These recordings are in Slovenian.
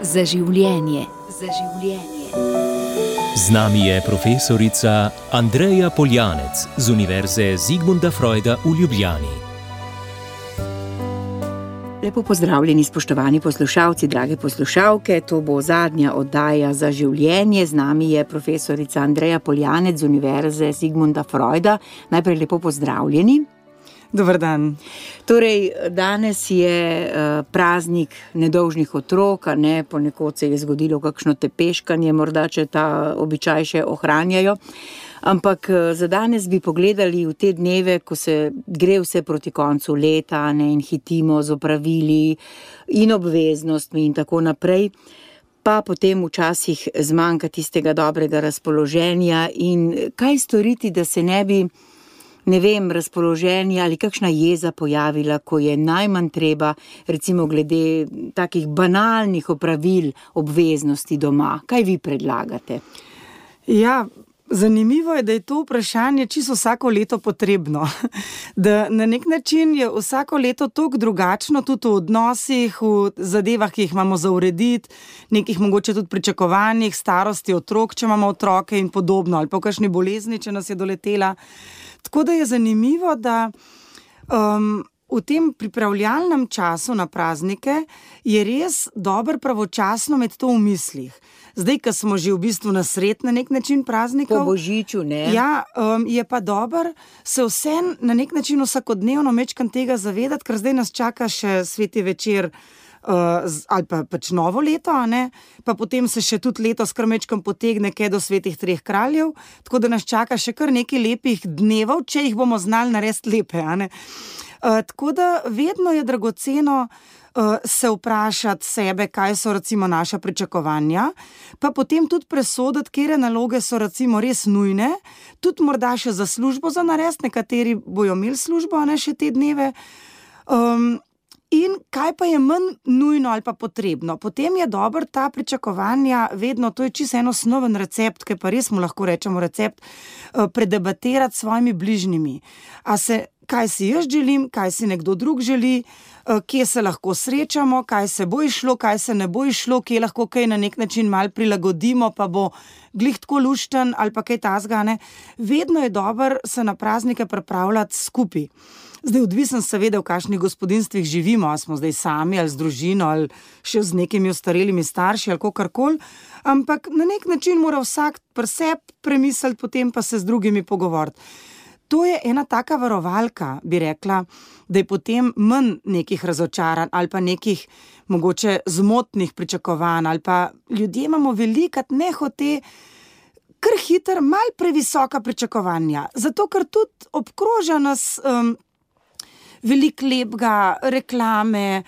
Za življenje. Z nami je profesorica Andreja Poljanec z Univerze Zigmunda Freuda v Ljubljani. Lepo pozdravljeni, spoštovani poslušalci, drage poslušalke. To bo zadnja oddaja Za življenje. Z nami je profesorica Andreja Poljanec z Univerze Zigmunda Freuda. Najprej lepo pozdravljeni. Dober dan. Torej, danes je praznik nedolžnih otrok, ponekod se je zgodilo kakšno tepeškanje, morda če ta običaj še ohranjajo. Ampak za danes bi pogledali v te dneve, ko se gre vse proti koncu leta, in hitimo z opravili in obveznostmi in tako naprej, pa potem včasih zmanjka tistega dobrega razpoloženja in kaj storiti, da se ne bi razpoloženje ali kakšna jeza pojavila, ko je najmanj treba, recimo glede takih banalnih opravil, obveznosti doma. Kaj vi predlagate? Ja, zanimivo je, da je to vprašanje čisto vsako leto potrebno. Da na nek način je vsako leto toliko drugačno, tudi v odnosih, v zadevah, ki jih imamo za urediti, nekih mogoče tudi pričakovanjih, starosti otrok, če imamo otroke in podobno, ali pa v kakšni bolezni, če nas je doletela. Tako da je zanimivo, da v tem pripravljalnem času na praznike je res dobro pravočasno imeti to v mislih. Zdaj, ko smo že v bistvu na sred na nek način praznikov. Po božiču, ne? Ja, je pa dobro se vsem na nek način vsakodnevno mečkam tega zavedati, ker zdaj nas čaka še sveti večer ali pa pač novo leto, pa potem se še tudi letos kar mečkam potegne kaj do svetih treh kraljev, tako da nas čaka še kar nekaj lepih dnevov, če jih bomo znali narediti lepe, Tako da vedno je dragoceno se vprašati sebe, kaj so recimo naša pričakovanja, pa potem tudi presoditi, katere naloge so recimo res nujne, tudi morda še za službo za narediti, nekateri bojo imeli službo, še te dneve, in kaj pa je manj nujno ali pa potrebno. Potem je dobro ta pričakovanja vedno, to je čisto en osnoven recept, ki pa res mu lahko rečemo recept, predebatirati s svojimi bližnjimi. Kaj si jaz želim, kaj si nekdo drug želi, kje se lahko srečamo, kaj se bo išlo, kaj se ne bo išlo, kje lahko kaj na nek način malo prilagodimo, pa bo glih tako lušten ali pa kaj tasga, Vedno je dobro se na praznike pripravljati skupaj. Zdaj odvisen seveda, v kakšnih gospodinjstvih živimo, ali smo zdaj sami ali z družino ali še z nekimi ostarelimi starši ali kakorkoli, ampak na nek način mora vsak pri sebi premisliti, potem pa se z drugimi pogovoriti. To je ena taka varovalka, bi rekla, da je potem manj nekih razočaranj ali pa nekih mogoče zmotnih pričakovanj ali pa ljudje imamo velikrat nehote kar hitro malo previsoka pričakovanja, zato ker tudi obkroža nas veliko lepega, reklame,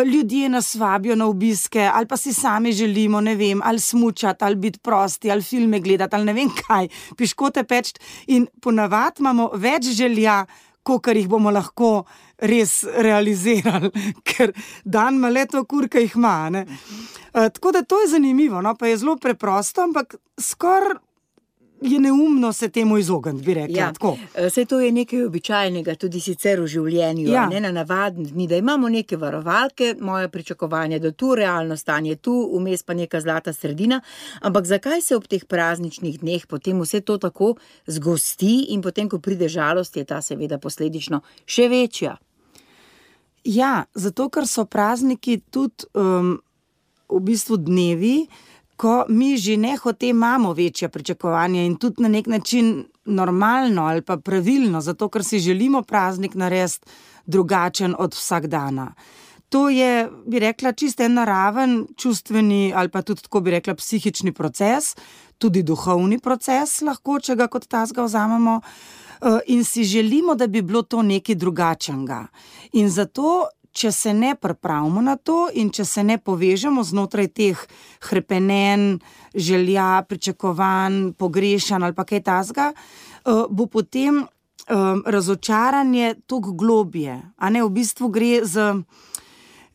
ljudje nas vabijo na obiske ali pa si sami želimo, ali smučati, ali biti prosti, ali filme gledati, ali ne vem kaj, piškote peči in ponavadi imamo več želja, kolikor jih bomo lahko res realizirali, ker dan ima le to kurka jih ima, Tako da to je zanimivo, pa je zelo preprosto, ampak skoraj je neumno se temu izogniti, bi rekla. Tako. Saj to je nekaj običajnega, tudi sicer v življenju, na navadni dni, da imamo neke varovalke, moje pričakovanje, da tu realno stanje tu, vmes pa neka zlata sredina, ampak zakaj se ob teh prazničnih dneh potem vse to tako zgosti in potem, ko pride žalost, je ta seveda posledično še večja? Ja, zato ker so prazniki tudi v bistvu dnevi, ko mi že nehote imamo večja pričakovanja in tudi na nek način normalno ali pa pravilno, zato ker si želimo praznik narediti drugačen od vsakdana. To je, bi rekla, čisto en naraven, čustveni ali pa tudi, tako bi rekla, psihični proces, tudi duhovni proces lahko, če ga kot tazga vzamemo, in si želimo, da bi bilo to nekaj drugačnega. In zato, če se ne pripravimo na to in če se ne povežemo znotraj teh hrepenenj, želja, pričakovanj, pogrešanj ali pa kaj tasga, bo potem razočaranje toliko globje. V bistvu gre za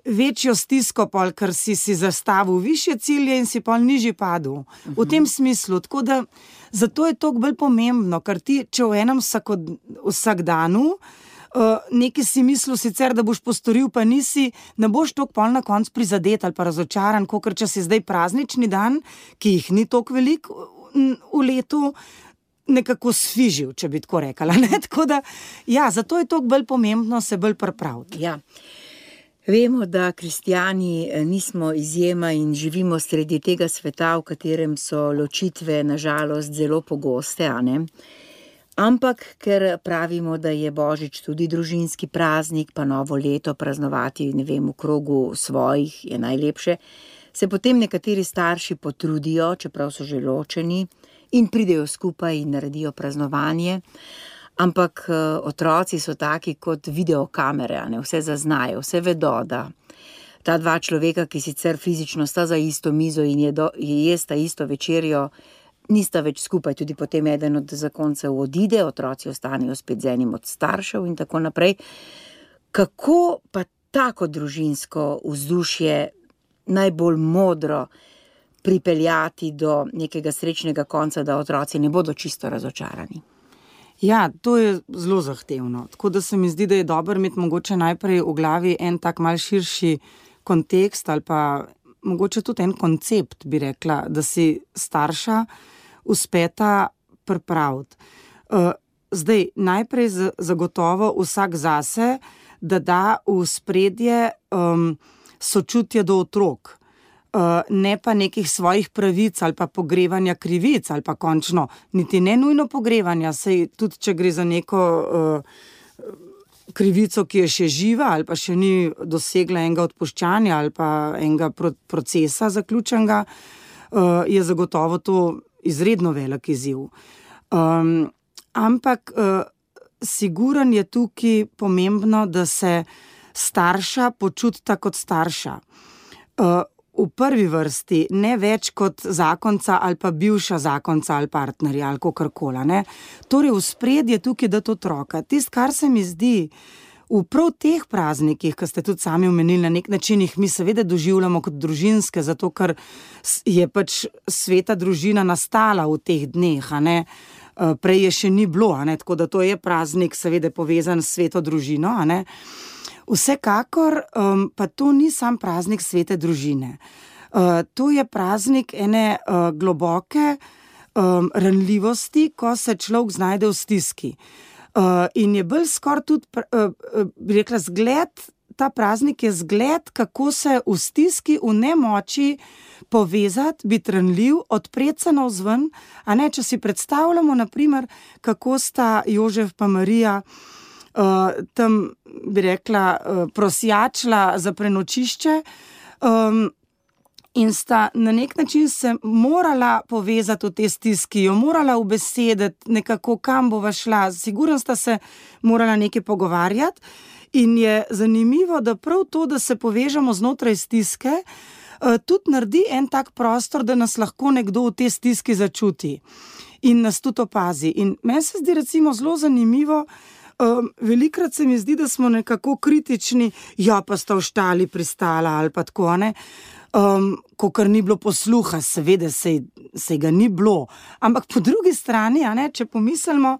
večjo stisko, ker si zastavil višje cilje in si pol nižji padel. V tem smislu. Tako da zato je toliko bolj pomembno, ker ti, če v enem vsakdanu nekaj si mislil sicer, da boš postoril, pa nisi, ne boš toliko pol na konc prizadet ali pa razočaran, kakor če si zdaj praznični dan, ki jih ni toliko veliko v letu, nekako sfižil, če bi tako rekala. Ne? Tako da, ja, zato je toliko bolj pomembno se bolj pripraviti. Ja. Vemo, da kristjani nismo izjema in živimo sredi tega sveta, v katerem so ločitve nažalost zelo pogoste, a ne? Ampak, ker pravimo, da je Božič tudi družinski praznik, pa novo leto praznovati, ne vem, v krogu svojih je najlepše, se potem nekateri starši potrudijo, čeprav so že ločeni, in pridejo skupaj in naredijo praznovanje, ampak otroci so taki kot videokamere, ne, vse zaznajo, vse vedo, da ta dva človeka, ki sicer fizično sta za isto mizo in jesta isto večerjo, nista več skupaj, tudi potem eden od zakoncev odide, otroci ostanejo spet z enim od staršev in tako naprej. Kako pa tako družinsko vzdušje najbolj modro pripeljati do nekega srečnega konca, da otroci ne bodo čisto razočarani? Ja, to je zelo zahtevno. Tako da se mi zdi, da je dobro imeti mogoče najprej v glavi en tak mal širši kontekst ali pa mogoče tudi en koncept, bi rekla, da si starša uspeta pripraviti. Zdaj, najprej zagotovo vsak zase, da v ospredje sočutje do otrok, ne pa nekih svojih pravic ali pa pogrevanja krivic ali pa končno, niti ne nujno pogrevanja, saj tudi če gre za neko krivico, ki je še živa ali pa še ni dosegla enega odpuščanja ali pa enega procesa zaključenega, je zagotovo to izredno velik izziv. Ampak siguran je tukaj pomembno, da se starša počutita kot starša. V prvi vrsti ne več kot zakonca ali pa bivša zakonca ali partnerja ali kakorkoli, ne. Torej v spredje tukaj dati otroka. Tisto, kar se mi zdi v prav teh praznikih, ki ste tudi sami omenili, na nek način jih mi seveda doživljamo kot družinske, zato ker je pač sveta družina nastala v teh dneh, a ne. Prej je še ni bilo, a ne, tako da to je praznik seveda povezan s sveto družino, a ne. Vsekakor pa to ni sam praznik svete družine. To je praznik ene globoke ranljivosti, ko se človek znajde v stiski. In je bolj skoraj tudi, bi rekla, zgled, ta praznik je zgled, kako se v stiski, v nemoči povezati, biti ranljiv, odpreti se navzven, a ne, če si predstavljamo, na primer, kako sta Jožef pa Marija tam, bi rekla, prosjačila za prenočišče in sta na nek način se morala povezati v tej stiski, jo morala ubesediti nekako, kam bova šla, sigurno sta se morala nekaj pogovarjati in je zanimivo, da prav to, da se povežemo znotraj stiske, tudi naredi en tak prostor, da nas lahko nekdo v tej stiski začuti in nas tudi opazi. In meni se zdi recimo zelo zanimivo, velikrat se mi zdi, da smo nekako kritični, ja, pa sta v štali pristala ali pa tako, ne, kakor ni bilo posluha, seveda sej ga ni bilo, ampak po drugi strani, a ne, če pomislimo,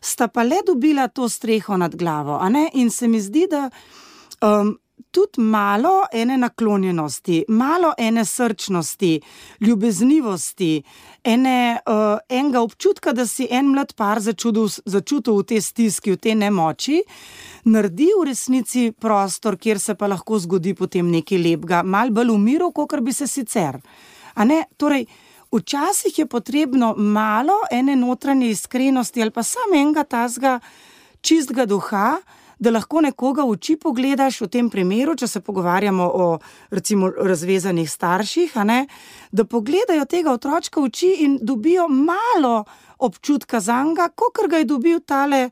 sta pa le dobila to streho nad glavo, a ne, in se mi zdi, da tudi malo ene naklonjenosti, malo ene srčnosti, ljubeznivosti, enega občutka, da si en mlad par začutil v tej stiski, v tej nemoči, naredi v resnici prostor, kjer se pa lahko zgodi potem nekaj lepega, malo bolj v miru, kakor bi se sicer. A ne, torej, včasih je potrebno malo ene notranje iskrenosti ali pa samo enega tazga čistega duha, da lahko nekoga v oči pogledaš, v tem primeru, če se pogovarjamo o recimo razvezanih starših, a ne, da pogledajo tega otročka v oči in dobijo malo občutka zanj, kakor ga je dobil tale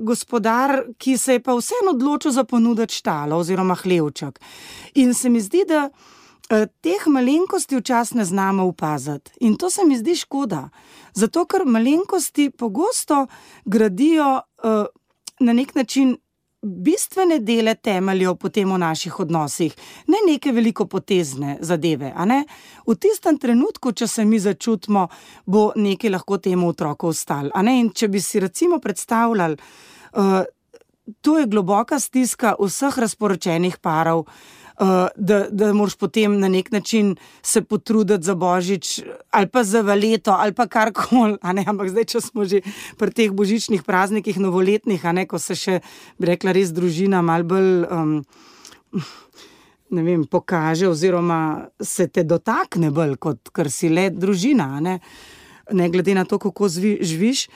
gospodar, ki se je pa vseeno odločil za ponuditi štalo oziroma hlevček. In se mi zdi, da teh malenkosti včasih ne znamo opaziti. In to se mi zdi škoda. Zato, ker malenkosti pogosto gradijo na nek način bistvene dele temeljev potem v naših odnosih, ne neke velikopotezne zadeve, a ne. V tistem trenutku, če se mi začutimo, bo nekaj lahko temu otroku ostalo, a ne. In če bi si recimo predstavljali to je globoka stiska vseh razporočenih parov, da moraš potem na nek način se potruditi za Božič ali pa za Valeto ali pa karkoli, ampak zdaj, če smo že pri teh božičnih praznikih, novoletnih, ko se še, bi rekla, res družina malo bolj pokaže oziroma se te dotakne bolj, kot kar si le družina, ne glede na to, kako živiš,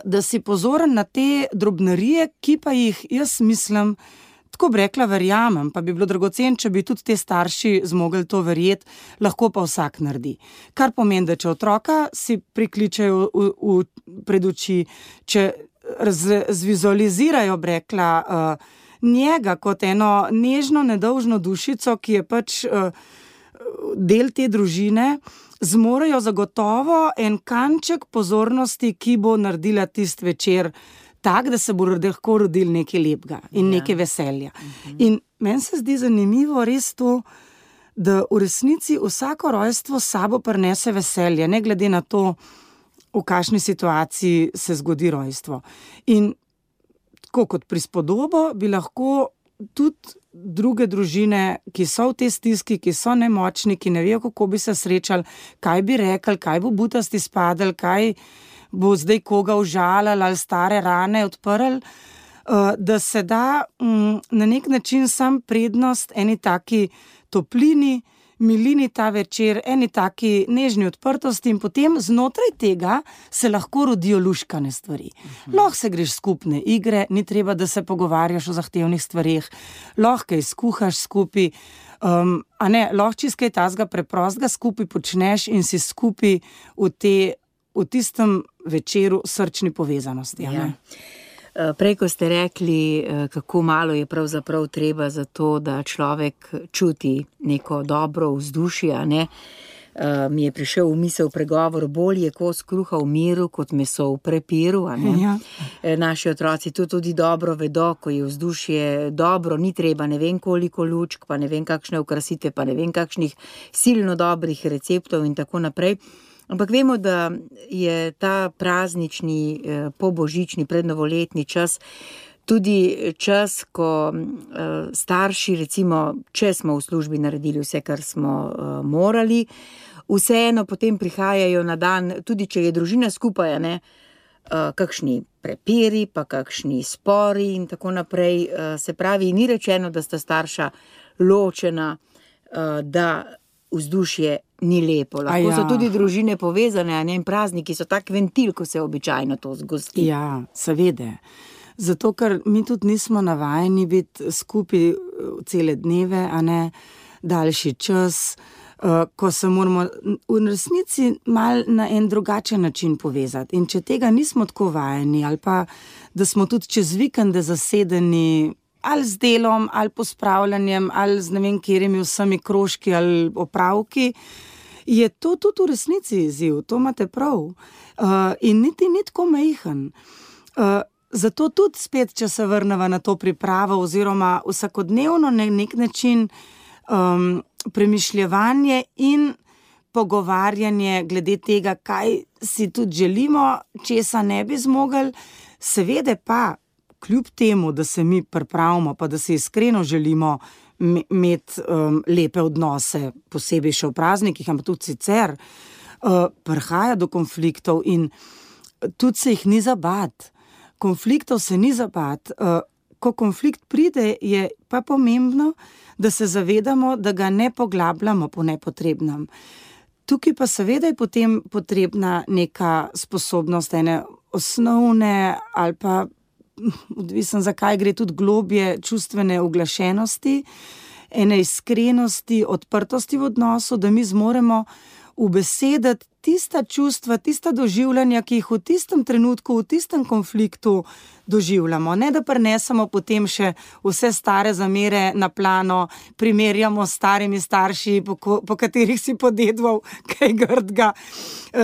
da si pozoren na te drobnarije, ki pa jih, jaz mislim, tako bi rekla, verjamem, pa bi bilo dragocen, če bi tudi te starši zmogli to verjeti, lahko pa vsak naredi. Kar pomeni, da če otroka si prikličejo pred oči, če zvizualizirajo, bi rekla, njega kot eno nežno, nedolžno dušico, ki je pač del te družine, zmorejo zagotovo en kanček pozornosti, ki bo naredila tisti večer tak, da se bo lahko rodil nekaj lepega in nekaj veselja. In meni se zdi zanimivo res to, da v resnici vsako rojstvo s sabo prinese veselje, ne glede na to, v kakšni situaciji se zgodi rojstvo. In tako kot prispodobo bi lahko tudi druge družine, ki so v tej stiski, ki so nemočni, ki ne vejo, kako bi se srečali, kaj bi rekli, kaj bo butasti spadali, kaj bo zdaj koga užalili ali stare rane odprli, da se da na nek način sam prednost eni taki toplini, milini ta večer, eni taki nežni odprtosti in potem znotraj tega se lahko rodijo luškane stvari. Lahko se greš skupne igre, ni treba, da se pogovarjaš o zahtevnih stvareh, lahko izkuhaš skupaj, lahko čisto kaj tazga preprostega skupaj počneš in si skupaj v tistem večeru srčni povezanosti. Ja. Prej, ko ste rekli, kako malo je pravzaprav treba za to, da človek čuti neko dobro vzdušje, mi je prišel v misel pregovor, bolj je kos kruha v miru, kot meso v prepiru. Ja. Naši otroci to tudi dobro vedo, ko je vzdušje dobro, ni treba ne vem koliko lučk, pa ne vem kakšne okrasitve, pa ne vem kakšnih silno dobrih receptov in tako naprej. Ampak vemo, da je ta praznični, pobožični, prednovoletni čas tudi čas, ko starši, recimo, če smo v službi naredili vse, kar smo morali, vseeno potem prihajajo na dan, tudi če je družina skupaj, kakšni prepiri, pa kakšni spori in tako naprej. Se pravi, ni rečeno, da sta starša ločena, da vzdušje ni lepo. Lahko so tudi družine povezane, in prazniki so tak ventil, ko se običajno to zgosti. Ja, seveda. Zato, ker mi tudi nismo navajeni biti skupaj cele dneve, daljši čas, ko se moramo v resnici mal na en drugačen način povezati. In če tega nismo tako vajeni, ali pa da smo tudi čez vikende zasedeni ali z delom, ali pospravljanjem, ali z ne vem katerimi vsemi krožki ali opravki, je to tudi v resnici izziv, to imate prav. In niti ni tako majhen. Zato tudi spet, če se vrneva na to pripravo oziroma vsakodnevno na nek način premišljevanje in pogovarjanje glede tega, kaj si tudi želimo, česa ne bi zmogli, seveda pa kljub temu, da se mi pripravimo, pa da si iskreno želimo imeti lepe odnose, posebej še v praznikih, ampak tudi sicer, prihaja do konfliktov in tudi se jih ni za bati. Konfliktov se ni za bati. Ko konflikt pride, je pa pomembno, da se zavedamo, da ga ne poglabljamo po nepotrebnem. Tukaj pa seveda je potem potrebna neka sposobnost ene osnovne ali pa odvisen, zakaj gre tudi globje čustvene uglašenosti, ene iskrenosti, odprtosti v odnosu, da mi zmoremo ubesediti tista čustva, tista doživljanja, ki jih v tistem trenutku, v tistem konfliktu doživljamo. Ne da prinesemo potem še vse stare zamere na plano, primerjamo s starimi starši, po katerih si podedval kaj grdga,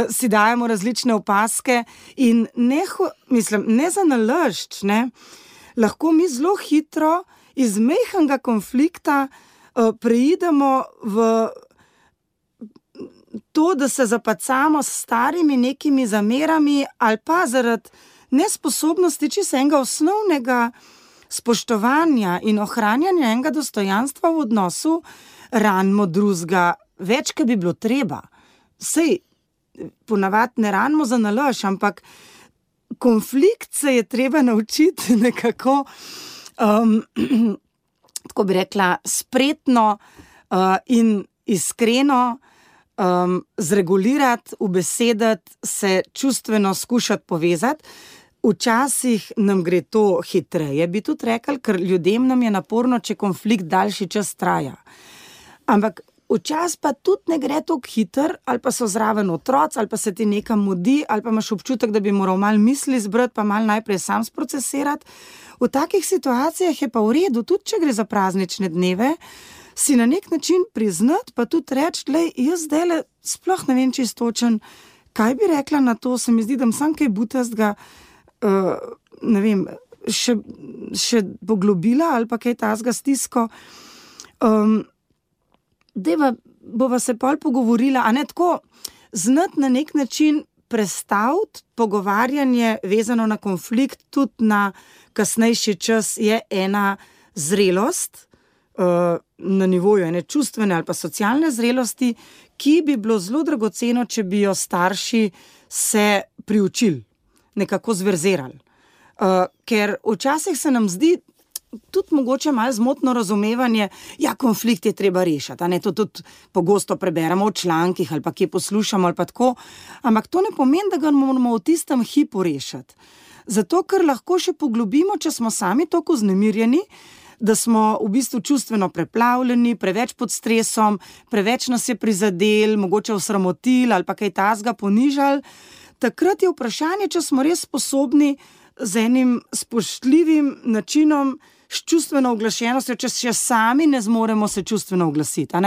si dajemo različne opaske in ne za nalašč, lahko mi zelo hitro iz majhnega konflikta preidemo v to, da se zapacamo s starimi nekimi zamerami ali pa zaradi nesposobnosti čisto enega osnovnega spoštovanja in ohranjanja enega dostojanstva v odnosu ranimo drugega, več, kot bi bilo treba. Sej, ponavadi ne ranimo za nalaž, ampak konflikt se je treba naučiti nekako, tako bi rekla, spretno in iskreno zregulirati, ubesediti, se čustveno skušati povezati. Včasih nam gre to hitreje, bi tudi rekli, ker ljudem nam je naporno, če konflikt daljši čas traja. Ampak včasih pa tudi ne gre tako hiter, ali pa so zraven otroci, ali pa se ti nekam mudi, ali pa imaš občutek, da bi moral malo misli zbrati, pa malo najprej sam sprocesirati. V takih situacijah je pa v redu, tudi če gre za praznične dneve, si na nek način priznati, pa tudi reči, glej, jaz zdajle sploh ne vem čistočen, kaj bi rekla na to, se mi zdi, da sam kaj butastga, ne vem, še poglobila ali pa kaj tazga stisko. Bova se pol pogovorila, a ne tako, znati na nek način prestaviti pogovarjanje vezano na konflikt, tudi na kasnejši čas je ena zrelost, na nivoju ene čustvene ali pa socialne zrelosti, ki bi bilo zelo dragoceno, če bi jo starši se priučili, nekako zverzirali. Ker včasih se nam zdi tudi mogoče malo zmotno razumevanje, ja, konflikt je treba rešiti, a ne, to tudi pogosto preberemo v člankih ali pa kje poslušamo ali pa tako, ampak to ne pomeni, da ga moramo v tistem hipu rešiti. Zato, ker lahko še poglobimo, če smo sami toliko vznemirjeni, da smo v bistvu čustveno preplavljeni, preveč pod stresom, preveč nas je prizadel, mogoče osramotili ali pa kaj tazga ponižali. Takrat je vprašanje, če smo res sposobni z enim spoštljivim načinom, s čustveno oglašenostjo, če še sami ne zmoremo se čustveno oglasiti.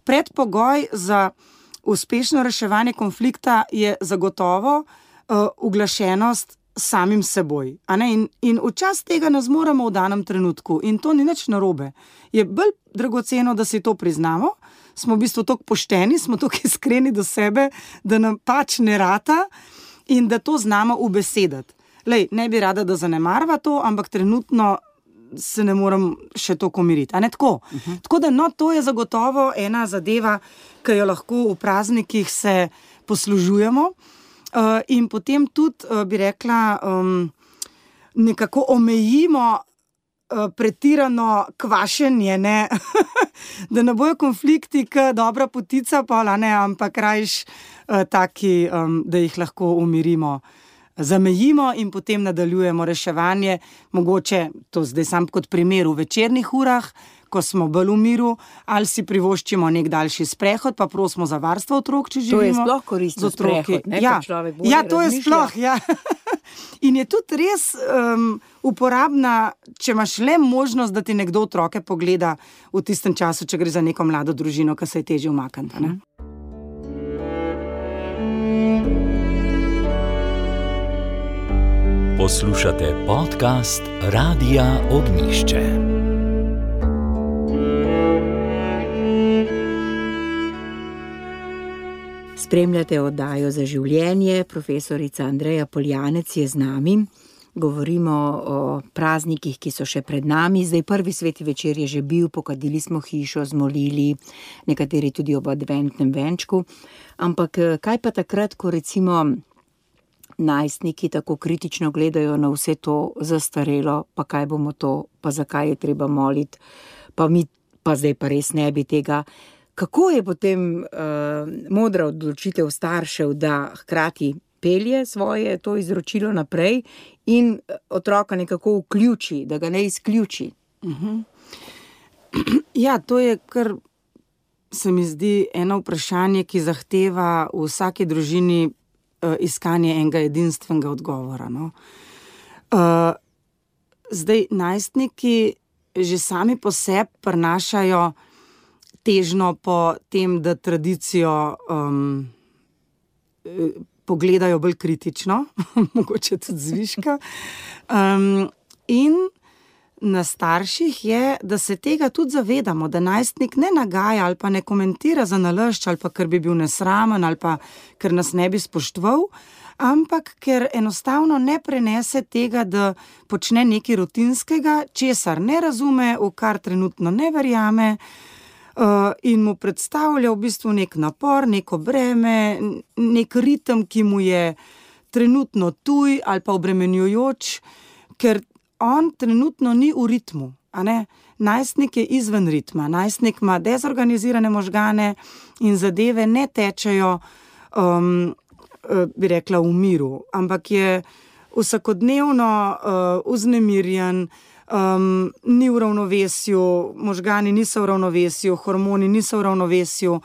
Predpogoj za uspešno reševanje konflikta je zagotovo uglašenost samim seboj. In včasih tega ne zmoremo v danem trenutku in to ni nič narobe. Je bolj dragoceno, da si to priznamo, smo v bistvu toliko pošteni, smo toliko iskreni do sebe, da nam pač ne rata in da to znamo ubesediti. Lej, ne bi rada, da zanemarva to, ampak trenutno se ne morem še toliko umiriti. Tako? Tako da, to je zagotovo ena zadeva, ki jo lahko v praznikih se poslužujemo. In potem tudi, bi rekla, nekako omejimo pretirano kvašenje, ne? Da ne bojo konflikti, kot dobra potica, ampak rajš taki, da jih lahko umirimo, zamejimo in potem nadaljujemo reševanje. Mogoče, to zdaj sam kot primer, v večernih urah, ko smo bolj v miru, ali si privoščimo nek daljši sprehod, pa prosimo za varstvo otrok, če živimo. To je sploh koristno sprehod, ne? Ja, Človek bolj ja, to je sploh, ja. In je tudi res uporabna, če imaš le možnost, da ti nekdo otroke pogleda v tistem času, če gre za neko mlado družino, ki se je težje umakniti, ne? Poslušate podcast Radia Ognjišče. Spremljate oddajo Za življenje, profesorica Andreja Poljanec je z nami. Govorimo o praznikih, ki so še pred nami. Zdaj prvi sveti večer je že bil, pokadili smo hišo, zmolili, nekateri tudi ob adventnem venčku. Ampak kaj pa takrat, ko recimo najstniki tako kritično gledajo na vse to zastarelo, pa kaj bomo to, pa zakaj je treba moliti, pa mi pa zdaj pa res ne bi tega. Kako je potem modra odločitev staršev, da hkrati pelje svoje to izročilo naprej in otroka nekako vključi, da ga ne izključi? Ja, to je kar, se mi zdi, eno vprašanje, ki zahteva v vsaki družini iskanje enega edinstvenega odgovora. Zdaj, najstniki že sami po sebi prinašajo težnjo po tem, da tradicijo pogledajo bolj kritično, mogoče tudi zviška. In na starših je, da se tega tudi zavedamo, da najstnik ne nagaja ali pa ne komentira za nalašč, ali pa ker bi bil nesramen, ali pa ker nas ne bi spoštoval, ampak ker enostavno ne prenese tega, da počne nekaj rutinskega, česar ne razume, v kar trenutno ne verjame, in mu predstavlja v bistvu nek napor, neko breme, nek ritem, ki mu je trenutno tuj ali pa obremenjujoč, ker on trenutno ni v ritmu, a ne? Najstnik je izven ritma, najstnik ima dezorganizirane možgane in zadeve ne tečejo, bi rekla, v miru, ampak je vsakodnevno vznemirjen, ni v ravnovesju, možgani niso v ravnovesju, hormoni niso v ravnovesju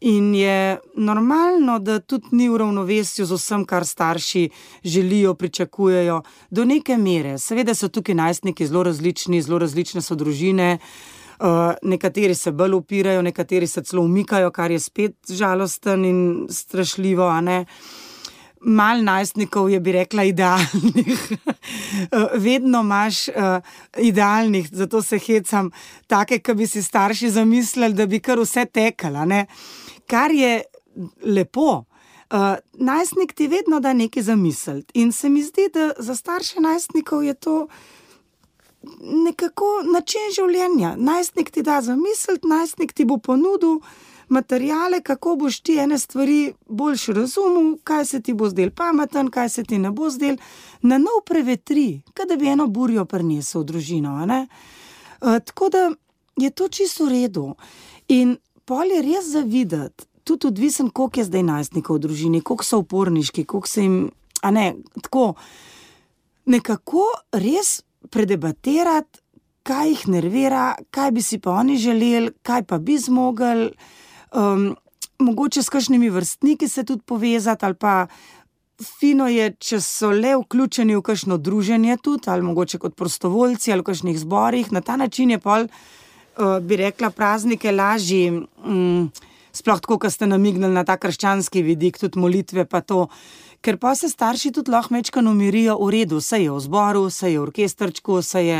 in je normalno, da tudi ni v ravnovesju z vsem, kar starši želijo, pričakujejo, do neke mere. Seveda so tukaj najstniki zelo različne so družine, nekateri se bolj upirajo, nekateri se celo umikajo, kar je spet žalosten in strašljivo, a ne. Malo najstnikov je, bi rekla, idealnih. Vedno imaš idealnih, zato se hecam, take, ki bi si starši zamislili, da bi kar vse tekala, ne. Kar je lepo. Najstnik ti vedno da nekaj zamisliti in se mi zdi, da za starše najstnikov je to nekako način življenja. Najstnik ti da zamisliti, najstnik ti bo ponudil materijale, kako boš ti ene stvari boljše razumel, kaj se ti bo zdel pameten, kaj se ti ne bo zdel, na nov prevetri, kaj da bi eno burjo prinesel v družino, a ne? Tako da je to čisto v redu. In pol je res zavideti, tudi odvisen, koliko je zdaj najstnikov v družini, koliko so uporniški, koliko se jim, a ne, tako, nekako res predebatirati, kaj jih nervira, kaj bi si pa oni želeli, kaj pa bi zmogli, mogoče s kakšnimi vrstniki se tudi povezati, ali pa fino je, če so le vključeni v kakšno druženje tudi, ali mogoče kot prostovoljci, ali v kakšnih zborih. Na ta način je pol, bi rekla, praznike lažji, sploh tako, ko ste namignili na ta krščanski vidik, tudi molitve pa to, ker pa se starši tudi lahko majčkeno umirijo, v redu, saj je v zboru, saj je v orkestrčku, saj je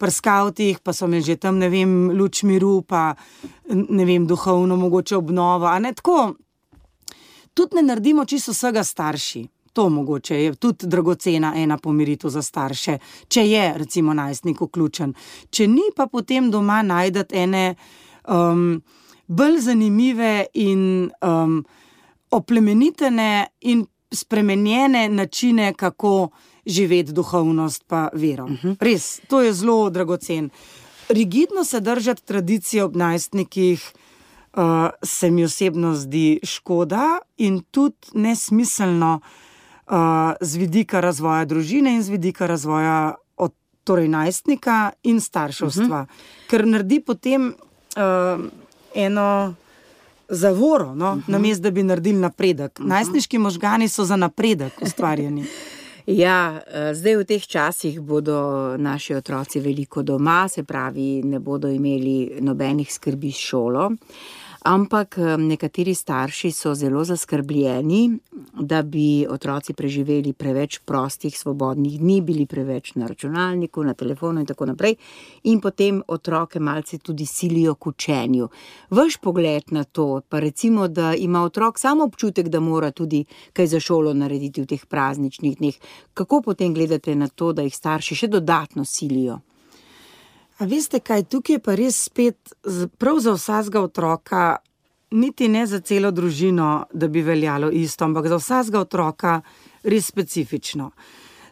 pri skavtih, pa so imeli že tam, ne vem, luč miru, pa ne vem, duhovno mogoče obnovo, a ne, tako, tudi ne naredimo čisto vsega starši. To mogoče je tudi dragocena ena pomiritev za starše, če je recimo najstnik vključen. Če ni, pa potem doma najdete ene bolj zanimive in oplemenitene in spremenjene načine, kako živeti duhovnost pa vero. Res, to je zelo dragocen. Rigidno se držati tradicije ob najstnikih se mi osebno zdi škoda in tudi nesmiselno z vidika razvoja družine in z vidika razvoja torej najstnika in starševstva. Ker naredi potem eno zavoro, no? Namesto da bi naredili napredek. Najstniški možgani so za napredek ustvarjeni. Ja, zdaj v teh časih bodo naši otroci veliko doma, se pravi, ne bodo imeli nobenih skrbi s šolo, ampak nekateri starši so zelo zaskrbljeni, da bi otroci preživeli preveč prostih, svobodnih dni, bili preveč na računalniku, na telefonu in tako naprej, in potem otroke malce tudi silijo k učenju. Vaš pogled na to, pa recimo, da ima otrok samo občutek, da mora tudi kaj za šolo narediti v teh prazničnih dneh, kako potem gledate na to, da jih starši še dodatno silijo? A veste kaj, tukaj je pa res spet prav za vsakega otroka, niti ne za celo družino, da bi veljalo isto, ampak za vsakega otroka res specifično.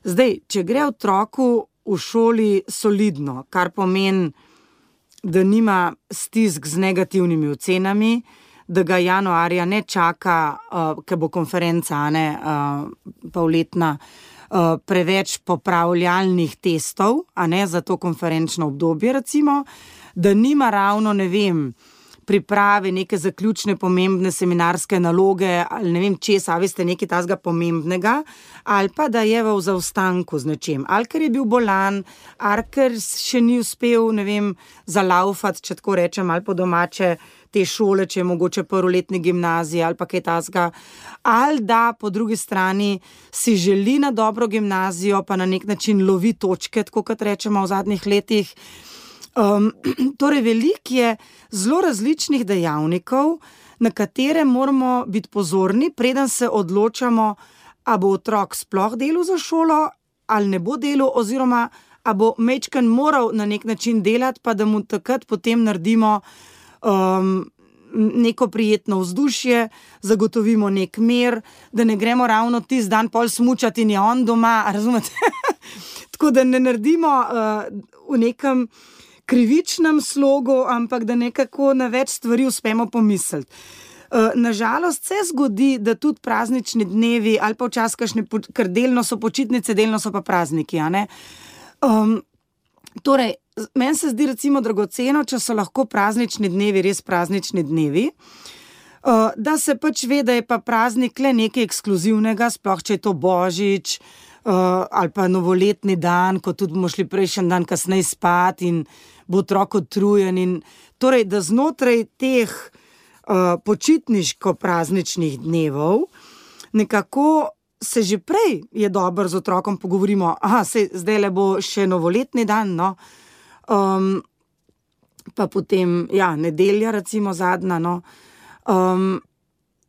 Zdaj, če gre otroku v šoli solidno, kar pomeni, da nima stisk z negativnimi ocenami, da ga januarja ne čaka, ker bo konferenca, polletna, preveč popravljalnih testov, a ne, za to konferenčno obdobje recimo, da nima ravno, ne vem, priprave neke zaključne pomembne seminarske naloge ali ne vem česa, veste, nekaj tazga pomembnega, ali pa da je v zaostanku z nečem, ali ker je bil bolan, ali ker še ni uspel, ne vem, zalaufati, če tako rečem, ali po domače te šole, če je mogoče prvoletni gimnaziji ali pa kaj tazga, ali da po drugi strani si želi na dobro gimnazijo, pa na nek način lovi točke, tako kot rečemo v zadnjih letih. Torej, veliko je zelo različnih dejavnikov, na katere moramo biti pozorni, preden se odločamo, a bo otrok sploh delal za šolo, ali ne bo delal, oziroma a bo majčken moral na nek način delati, pa da mu takrat potem naredimo neko prijetno vzdušje, zagotovimo nek mir, da ne gremo ravno tisti dan pol smučati in je on doma, razumete? Tako da ne naredimo v nekem krivičnem slogu, ampak da nekako na več stvari uspemo pomisliti. Nažalost se zgodi, da tudi praznični dnevi ali pa včasih kakšne, ker delno so počitnice, delno so pa prazniki, a ne? Torej, meni se zdi recimo dragoceno, če so lahko praznični dnevi res praznični dnevi, da se pač ve, da je pa praznik le nekaj ekskluzivnega, sploh če je to Božič ali pa novoletni dan, ko tudi bomo šli prejšnji dan kasneje spat in bo otrok utrujen. In torej, da znotraj teh počitniško-prazničnih dnevov nekako se že prej je dobro z otrokom pogovorimo, zdaj le bo še novoletni dan, no, pa potem, nedelja recimo zadnja, no,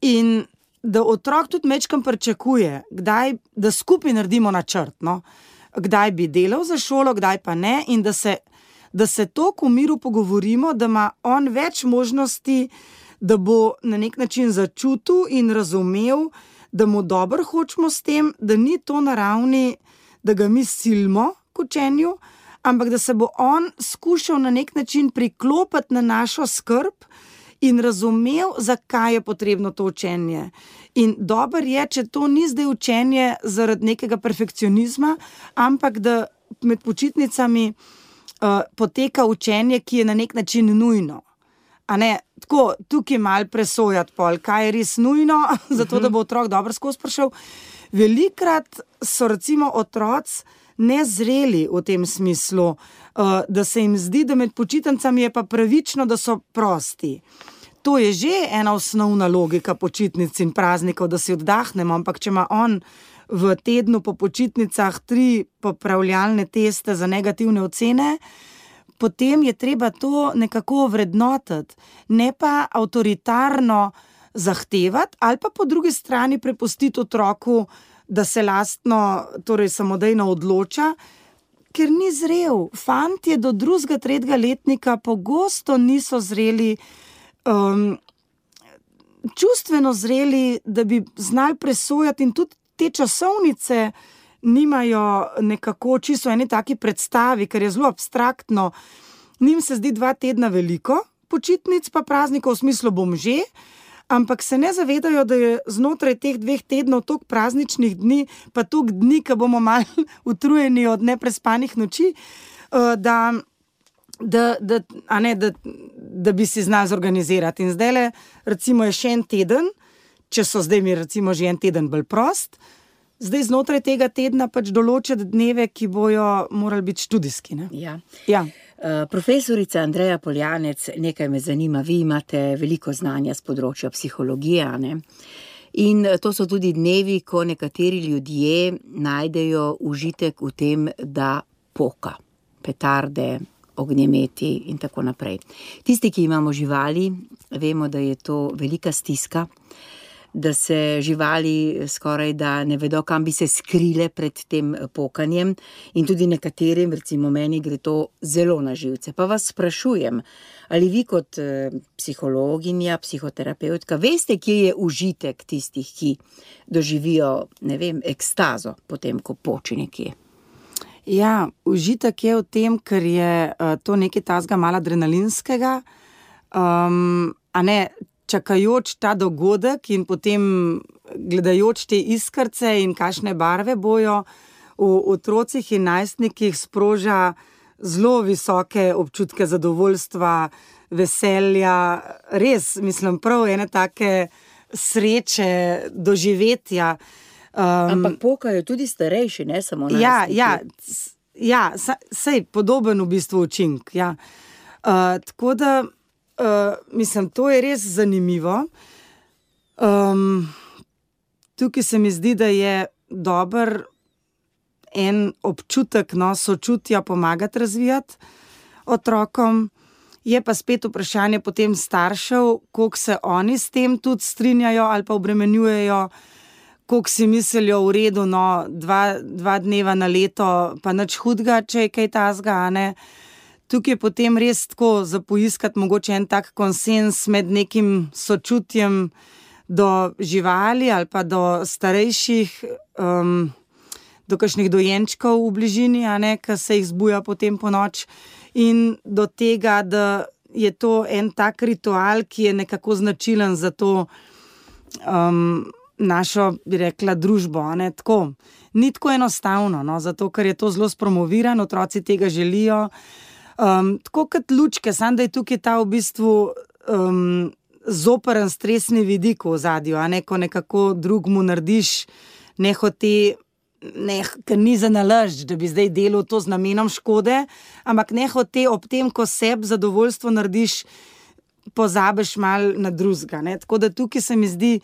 in da otrok tudi majčkeno pričakuje, kdaj, da skupaj naredimo načrt, no, kdaj bi delal za šolo, kdaj pa ne, in da se toliko v miru pogovorimo, da ima on več možnosti, da bo na nek način začutil in razumel, da mu dobro hočemo s tem, da ni to na ravni, da ga mi silimo k učenju, ampak da se bo on skušal na nek način priklopiti na našo skrb in razumel, zakaj je potrebno to učenje. In dobro je, če to ni zdaj učenje zaradi nekega perfekcionizma, ampak da med počitnicami poteka učenje, ki je na nek način nujno. A ne, tako, tukaj malo presojati pol, kaj je res nujno, zato da bo otrok dobro skozi prišel. Velikrat so recimo otroci nezreli v tem smislu, da se jim zdi, da med počitnicami je pa pravično, da so prosti. To je že ena osnovna logika počitnic in praznikov, da si oddahnemo, ampak če ima on v tednu po počitnicah 3 popravljalne teste za negativne ocene, potem je treba to nekako vrednotiti, ne pa avtoritarno zahtevati ali pa po drugi strani prepustiti otroku, da se lastno, torej samodejno odloča, ker ni zrel. Fantje do 2., 3. letnika pogosto niso zreli, čustveno zreli, da bi znali presojati, in tudi te časovnice nimajo nekako čisto eni taki predstavi, ker je zelo abstraktno. Njim se zdi 2 tedna veliko, počitnic pa praznikov v smislu bom že, ampak se ne zavedajo, da je znotraj teh 2 tednov toliko prazničnih dni, pa toliko dni, ko bomo malo utrujeni od neprespanih noči, da bi si znali zorganizirati. In zdajle recimo je še en teden, če so zdaj mi recimo že en teden bolj prost, zdaj znotraj tega tedna pač določiti dneve, ki bojo morali biti študijski. Ne? Ja. Profesorica Andreja Poljanec, nekaj me zanima, vi imate veliko znanja z področja psihologije, ne? In to so tudi dnevi, ko nekateri ljudje najdejo užitek v tem, da poka, petarde, ognjemeti in tako naprej. Tisti, ki imamo živali, vemo, da je to velika stiska, da se živali skoraj da ne vedo, kam bi se skrile pred tem pokanjem, in tudi nekaterim, recimo meni, gre to zelo na živce. Pa vas sprašujem, ali vi kot psihologinja, psihoterapeutka, veste, kje je užitek tistih, ki doživijo, ne vem, ekstazo potem, ko poči nekje? Ja, užitek je v tem, ker je to nekaj tazga malo adrenalinskega, a ne, čakajoč ta dogodek in potem gledajoč te iskrce in kakšne barve bojo v otrocih in najstnikih, sproža zelo visoke občutke zadovoljstva, veselja, res, mislim, prav ene take sreče, doživetja. Ampak pokajo tudi starejši, ne samo najstniki. Ja, sej podoben v bistvu učink, ja. Tako da mislim, to je res zanimivo. Tukaj se mi zdi, da je dober en občutek, no, sočutja pomagati razvijati otrokom. Je pa spet vprašanje potem staršev, koliko se oni s tem tudi strinjajo ali pa obremenjujejo, koliko si mislijo v redu, no, dva dneva na leto, pa nič hudga, če je kaj tazga, a ne. Tukaj je potem res tako za poiskati mogoče en tak konsens med nekim sočutjem do živali ali pa do starejših, do kakšnih dojenčkov v bližini, a ne, ki se jih zbuja potem po noč, in do tega, da je to en tak ritual, ki je nekako značilen za to našo, bi rekla, družbo, a ne, tako. Ni tako enostavno, no, zato, ker je to zelo spromoviran, otroci tega želijo. Tako kot lučke, samo da je tukaj ta v bistvu zoperen stresni vidik v ozadju, a ne, ko nekako drugmu narediš nehote, ker ni za nalašč, da bi zdaj delal to z namenom škode, ampak nehote ob tem, ko sebi zadovoljstvo narediš, pozabiš malo na drugega, ne. Tako da tukaj se mi zdi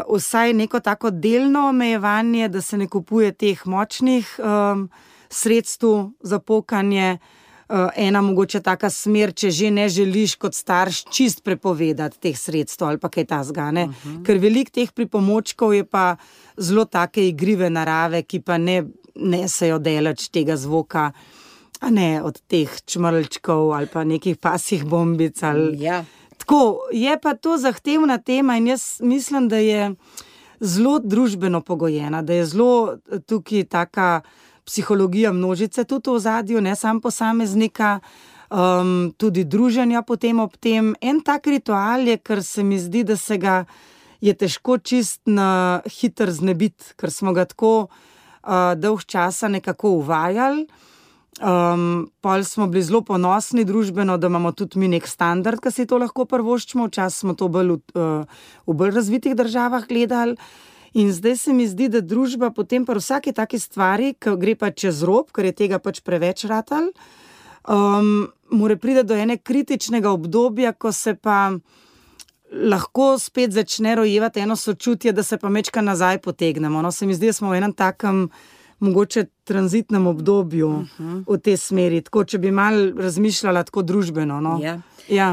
vsaj neko tako delno omejevanje, da se ne kupuje teh močnih sredstev za pokanje, ena mogoče taka smer, če že ne želiš kot starš čist prepovedati teh sredstev ali pa kaj tazga, ne. Ker veliko teh pripomočkov je pa zelo take igrive narave, ki pa ne nesejo daleč tega zvoka, a ne, od teh čmrlčkov ali pa nekih pasjih bombic ali... Ja. Tako, je pa to zahtevna tema in jaz mislim, da je zelo družbeno pogojena, da je zelo tukaj taka psihologija množice tudi v ozadju, ne sam posameznika, tudi druženja potem ob tem. En tak ritual je, ker se mi zdi, da se ga je težko čist na hiter znebiti, ker smo ga tako dolg časa nekako uvajali. Pol smo bili zelo ponosni družbeno, da imamo tudi mi nek standard, ki si to lahko privoščimo, včasih smo to bolj v bolj razvitih državah gledali. In zdaj se mi zdi, da družba potem pri vsaki taki stvari, ki gre pa čez rob, ker je tega pač preveč ratal, mora priti do ene kritičnega obdobja, ko se pa lahko spet začne rojevati eno sočutje, da se pa mečka nazaj potegnemo. No, se mi zdi, da smo v enem takem mogoče tranzitnem obdobju v tej smeri, tako, če bi malo razmišljala tako družbeno, no. Ja. Ja.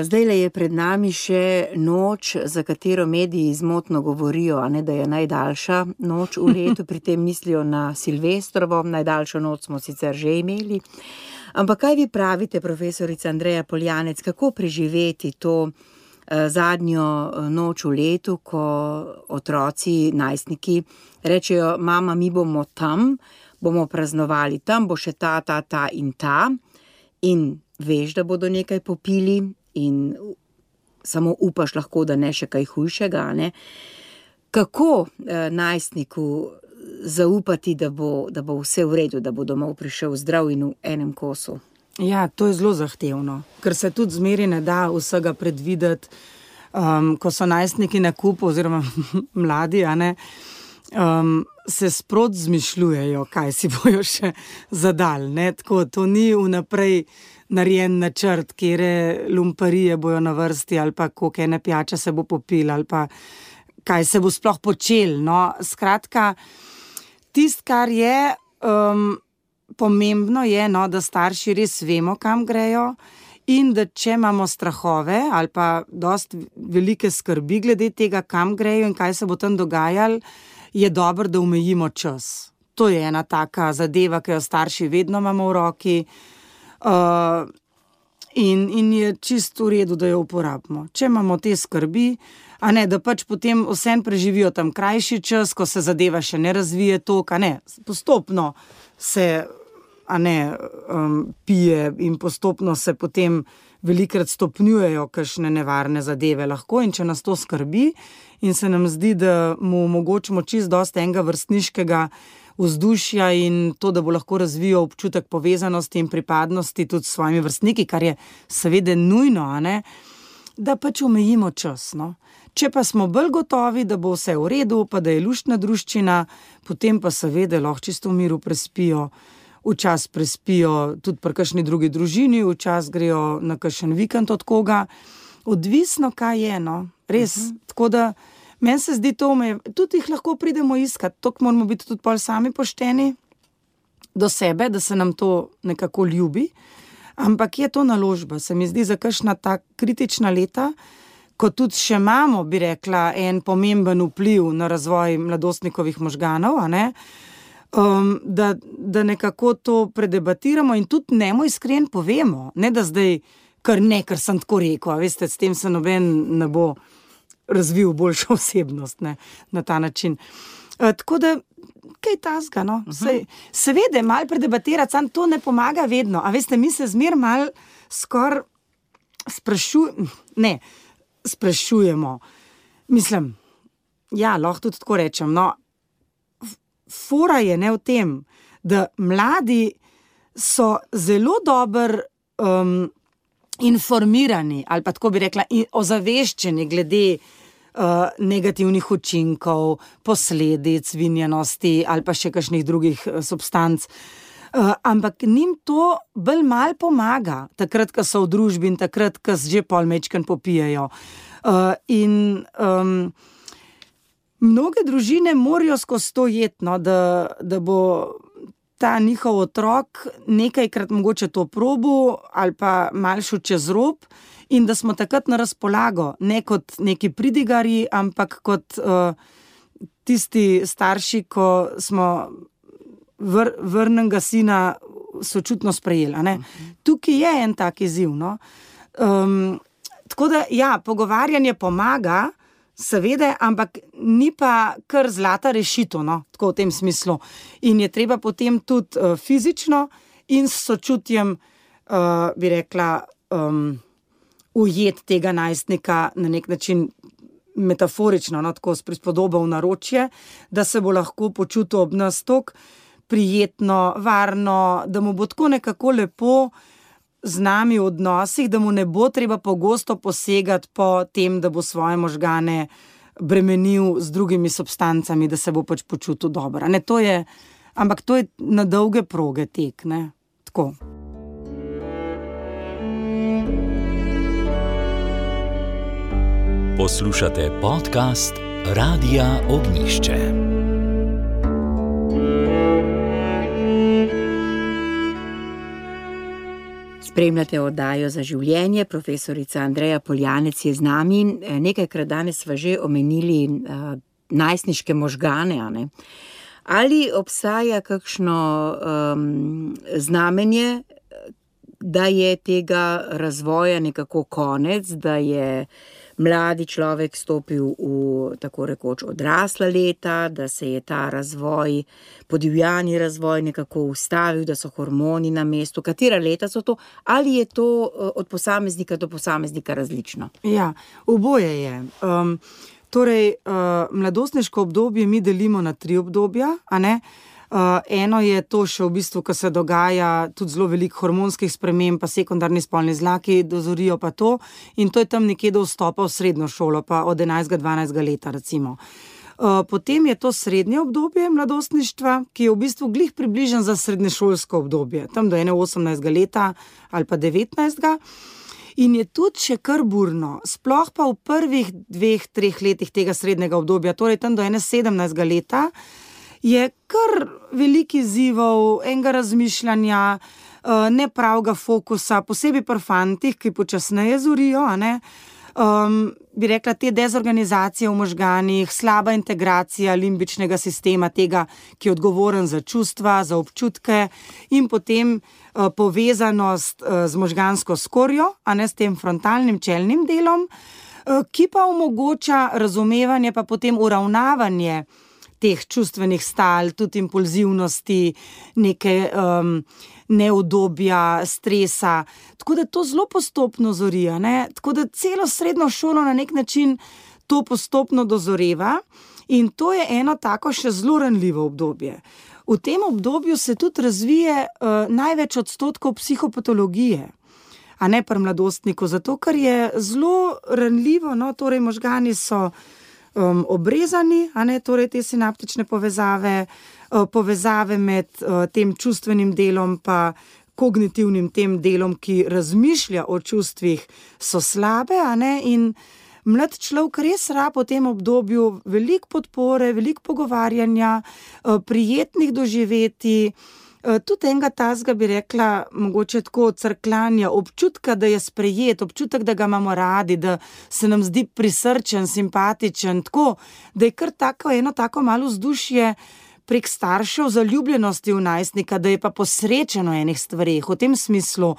Zdajle je pred nami še noč, za katero mediji zmotno govorijo, a ne, da je najdaljša noč v letu, pri tem mislijo na Silvestrovo, najdaljšo noč smo sicer že imeli. Ampak kaj vi pravite, profesorica Andreja Poljanec, kako preživeti to zadnjo noč v letu, ko otroci, najstniki rečejo, mama, mi bomo tam, bomo praznovali tam, bo še ta in ta, in veš, da bodo nekaj popili in samo upaš lahko, da ne še kaj hujšega, ne? Kako najstniku zaupati, da bo vse v redu, da bo domov prišel zdrav in v enem kosu? Ja, to je zelo zahtevno, ker se tudi zmeri ne da vsega predvideti, ko so najstniki na kupu oziroma mladi, a ne, se sprot zmišljujejo, kaj si bojo še zadali, ne, tako, to ni vnaprej narejen načrt, kjere lumparije bojo na vrsti ali pa koliko ene pijače se bo popil ali pa kaj se bo sploh počel, no, skratka, tisto, kar je pomembno je, no, da starši res vemo, kam grejo in da če imamo strahove ali pa dosti velike skrbi glede tega, kam grejo in kaj se bo tam dogajalo, je dobro, da omejimo čas. To je ena taka zadeva, ki jo starši vedno imamo v roki, in je čisto v redu, da jo uporabimo. Če imamo te skrbi, a ne, da pač potem vsem preživijo tam krajši čas, ko se zadeva še ne razvije toliko, a ne, postopno se, a ne, pije in postopno se potem velikrat stopnjujejo kakšne nevarne zadeve lahko, in če nas to skrbi in se nam zdi, da mu omogočimo čisto dosti enega vrstniškega vzdušja in to, da bo lahko razvijal občutek povezanosti in pripadnosti tudi s svojimi vrstniki, kar je seveda nujno, a ne, da pač omejimo čas, no. Če pa smo bolj gotovi, da bo vse v redu, pa da je luštna druščina, potem pa seveda lahko čisto v miru prespijo, včasih prespijo tudi pri kakšni drugi družini, včasih grejo na kakšen vikend od koga. Odvisno, kaj je, no, res. Tako da meni se zdi to, tudi jih lahko pridemo iskat, toliko moramo biti tudi pol sami pošteni do sebe, da se nam to nekako ljubi, ampak je to naložba, se mi zdi, za kakšna ta kritična leta, ko tudi še imamo, bi rekla, en pomemben vpliv na razvoj mladostnikovih možganov, a ne, da nekako to predebatiramo in tudi njemu iskren povemo, ne da zdaj ker sem tako rekel, a veste, s tem se noben ne bo razvil boljšo osebnost, ne, na ta način. Tako da, kaj tazga, no? Seveda, malo predebatirati, sam to ne pomaga vedno, a veste, mi se zmer malo skoraj sprašujemo. Mislim, ja, lahko tudi tako rečem, no, fora je ne v tem, da mladi so zelo dobro informirani, ali pa tako bi rekla, ozaveščeni glede negativnih učinkov, posledic vinjenosti ali pa še kakšnih drugih substanc. Ampak njim to bolj malo pomaga, takrat, ko so v družbi in takrat, ko že pol mečken popijejo. Mnoge družine morajo skozi to jeti, no, da bo ta njihov otrok nekajkrat mogoče to probil ali pa malo šel čez rob in da smo takrat na razpolago, ne kot neki pridigarji, ampak kot tisti starši, ko smo vrnenega sina sočutno sprejeli. Ne? Tukaj je en tak izziv. No? Tako da, ja, pogovarjanje pomaga, seveda, ampak ni pa kar zlata rešitev, no? Tako v tem smislu. In je treba potem tudi fizično in s sočutjem, bi rekla, ujeti tega najstnika na nek način metaforično, no? Tako s prispodobo v naročje, da se bo lahko počutil ob nas toliko prijetno, varno, da mu bo tako nekako lepo z nami v odnosih, da mu ne bo treba pogosto posegati po tem, da bo svoje možgane bremenil z drugimi substancami, da se bo pač počutil dobro. Ne, ampak to je na dolge proge tek, ne? Tako. Poslušate podcast Radia Ognjišče. Spremljate oddajo Za življenje, profesorica Andreja Poljanec je z nami. Nekajkrat danes sva že omenili najstniške možgane. Ne? Ali obstaja kakšno znamenje, da je tega razvoja nekako konec, da je mladi človek stopil v tako rekoč odrasla leta, da se je ta razvoj, podivjani razvoj nekako ustavil, da so hormoni na mestu. Katera leta so to? Ali je to od posameznika do posameznika različno? Ja, oboje je. Torej, mladostniško obdobje mi delimo na 3 obdobja, a ne? Eno je to še v bistvu, ko se dogaja tudi zelo veliko hormonskih sprememb, pa sekundarni spolni zlaki dozorijo pa to, in to je tam nekje do vstopa v srednjo šolo, pa od 11-12 leta recimo. Potem je to srednje obdobje mladostništva, ki je v bistvu glih približen za srednješolsko obdobje, tam do 18 leta ali pa 19. In je tudi še kar burno, sploh pa v prvih 2-3 letih tega srednjega obdobja, torej tam do 17 leta, je kar veliko izzivov, enega razmišljanja, nepravega fokusa, posebej pri fantih, ki počasneje zorijo, a ne? Bi rekla, te dezorganizacije v možganih, slaba integracija limbičnega sistema, tega, ki je odgovoren za čustva, za občutke, in potem povezanost z možgansko skorjo, a ne, s tem frontalnim čelnim delom, ki pa omogoča razumevanje, pa potem uravnavanje teh čustvenih stal, tudi impulzivnosti, neke neudobja, stresa. Tako da to zelo postopno zori, ne? Tako da celo srednjo šolo na nek način to postopno dozoreva in to je eno tako še zelo ranljivo obdobje. V tem obdobju se tudi razvije največ odstotkov psihopatologije, a ne pri mladostniku, zato ker je zelo ranljivo, no, torej možgani so obrezani, a ne, torej te sinaptične povezave, povezave med tem čustvenim delom pa kognitivnim tem delom, ki razmišlja o čustvih, so slabe, a ne, in mlad človek res rab v tem obdobju veliko podpore, veliko pogovarjanja, prijetnih doživetij, tudi enega tazga bi rekla, mogoče tako crkljanja, občutka, da je sprejet, občutek, da ga imamo radi, da se nam zdi prisrčen, simpatičen, tako, da je kar eno tako malo vzdušje prek staršev zaljubljenosti v najstnika, da je pa posrečen v enih stvareh, v tem smislu,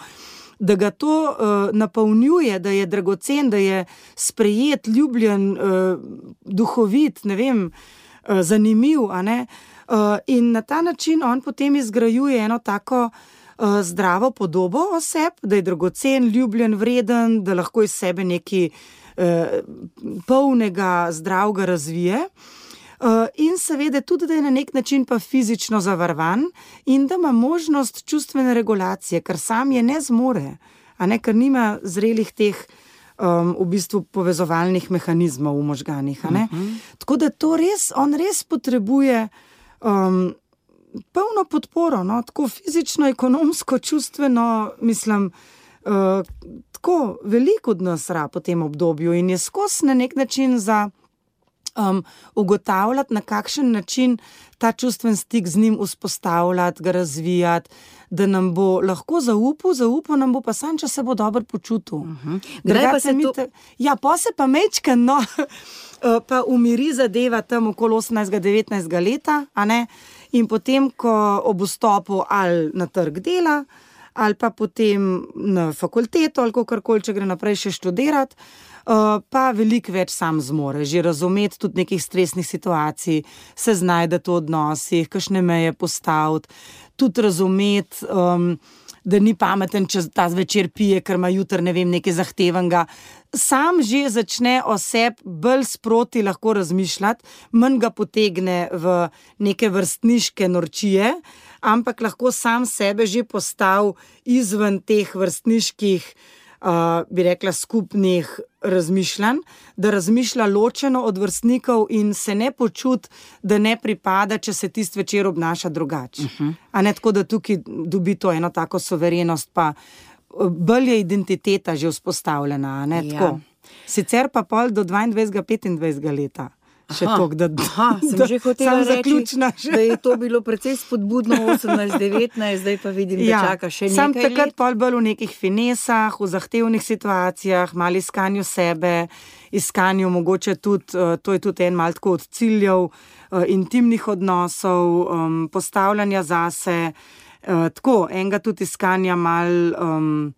da ga to napolnjuje, da je dragocen, da je sprejet, ljubljen, duhovit, ne vem, zanimiv, a ne? In na ta način on potem izgrajuje eno tako zdravo podobo o sebi, da je dragocen, ljubljen, vreden, da lahko iz sebe nekaj polnega, zdravega razvije. In seveda tudi, da je na nek način pa fizično zavarovan in da ima možnost čustvene regulacije, ker sam je ne zmore, a ne, ker nima zrelih teh v bistvu povezovalnih mehanizmov v možganih, a ne. Tako da to res, on res potrebuje polno podporo, no, tako fizično, ekonomsko, čustveno, mislim, tako veliko od nas rab po tem obdobju in je skozi na nek način za ugotavljati, na kakšen način ta čustven stik z njim vzpostavljati, ga razvijati, da nam bo lahko zaupal nam bo pa sam, če se bo dobro počutil. Kdaj pa se to... Ja, pa se pa mečken, no, pa umiri zadeva tam okoli 18-19 leta, a ne, in potem, ko ob vstopu ali na trg dela, ali pa potem na fakulteto, ali kakorkoli, če gre naprej še študirati, pa veliko več sam zmore, že razumeti tudi nekih stresnih situacij, se znajdeti v odnosih, kakšne meje postaviti, tudi razumeti, da ni pameten, če ta zvečer pije, ker ima jutri, ne vem, nekaj zahtevenega. Sam že začne o sebi bolj sproti lahko razmišljati, manj ga potegne v neke vrstniške norčije, ampak lahko sam sebe že postavi izven teh vrstniških, bi rekla, skupnih razmišljanj, da razmišlja ločeno od vrstnikov in se ne počuti, da ne pripada, če se tisti večer obnaša drugače. A ne, tako da tukaj dobi to eno tako suverenost, pa bolj je identiteta že vzpostavljena, a ne, tako. Sicer pa pol do 22-25 leta. Še toliko, sem že hotela reči, da je to bilo precej spodbudno 18-19, zdaj pa vidim, da čaka še nekaj let. Sam takrat pol bolj v nekih finesah, v zahtevnih situacijah, malo iskanju sebe, iskanju mogoče tudi, to je tudi en malo tako od ciljev, intimnih odnosov, postavljanja zase, tako, enega tudi iskanja malo...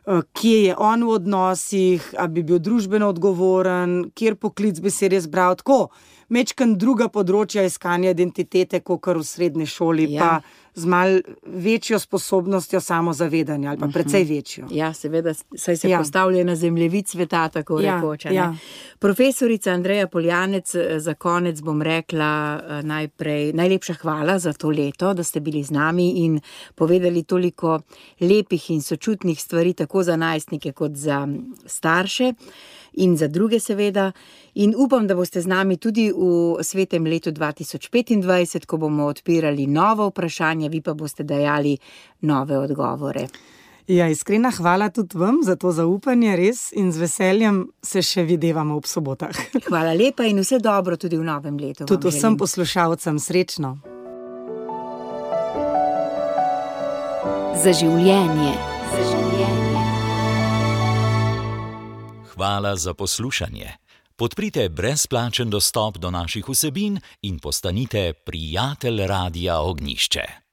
kje je on v odnosih, a bi bil družbeno odgovoren, kjer poklic bi se res bral, tako, mečkan druga področja iskanja identitete, kakor v srednji šoli, pa z malo večjo sposobnostjo samozavedanja, ali pa precej večjo. Ja, seveda, saj se postavlja na zemljevid sveta, tako rekoč. Profesorica Andreja Poljanec, za konec bom rekla najlepša hvala za to leto, da ste bili z nami in povedali toliko lepih in sočutnih stvari, tako za najstnike kot za starše in za druge seveda. In upam, da boste z nami tudi v svetem letu 2025, ko bomo odpirali nova vprašanja, vi pa boste dajali nove odgovore. Ja, iskrena hvala tudi vam za to zaupanje, res, in z veseljem se še videvamo ob sobotah. Hvala lepa in vse dobro tudi v novem letu. Tudi vsem poslušalcem srečno. Za življenje. Hvala za poslušanje. Podprite brezplačen dostop do naših vsebin in postanite prijatelj Radia Ognjišče.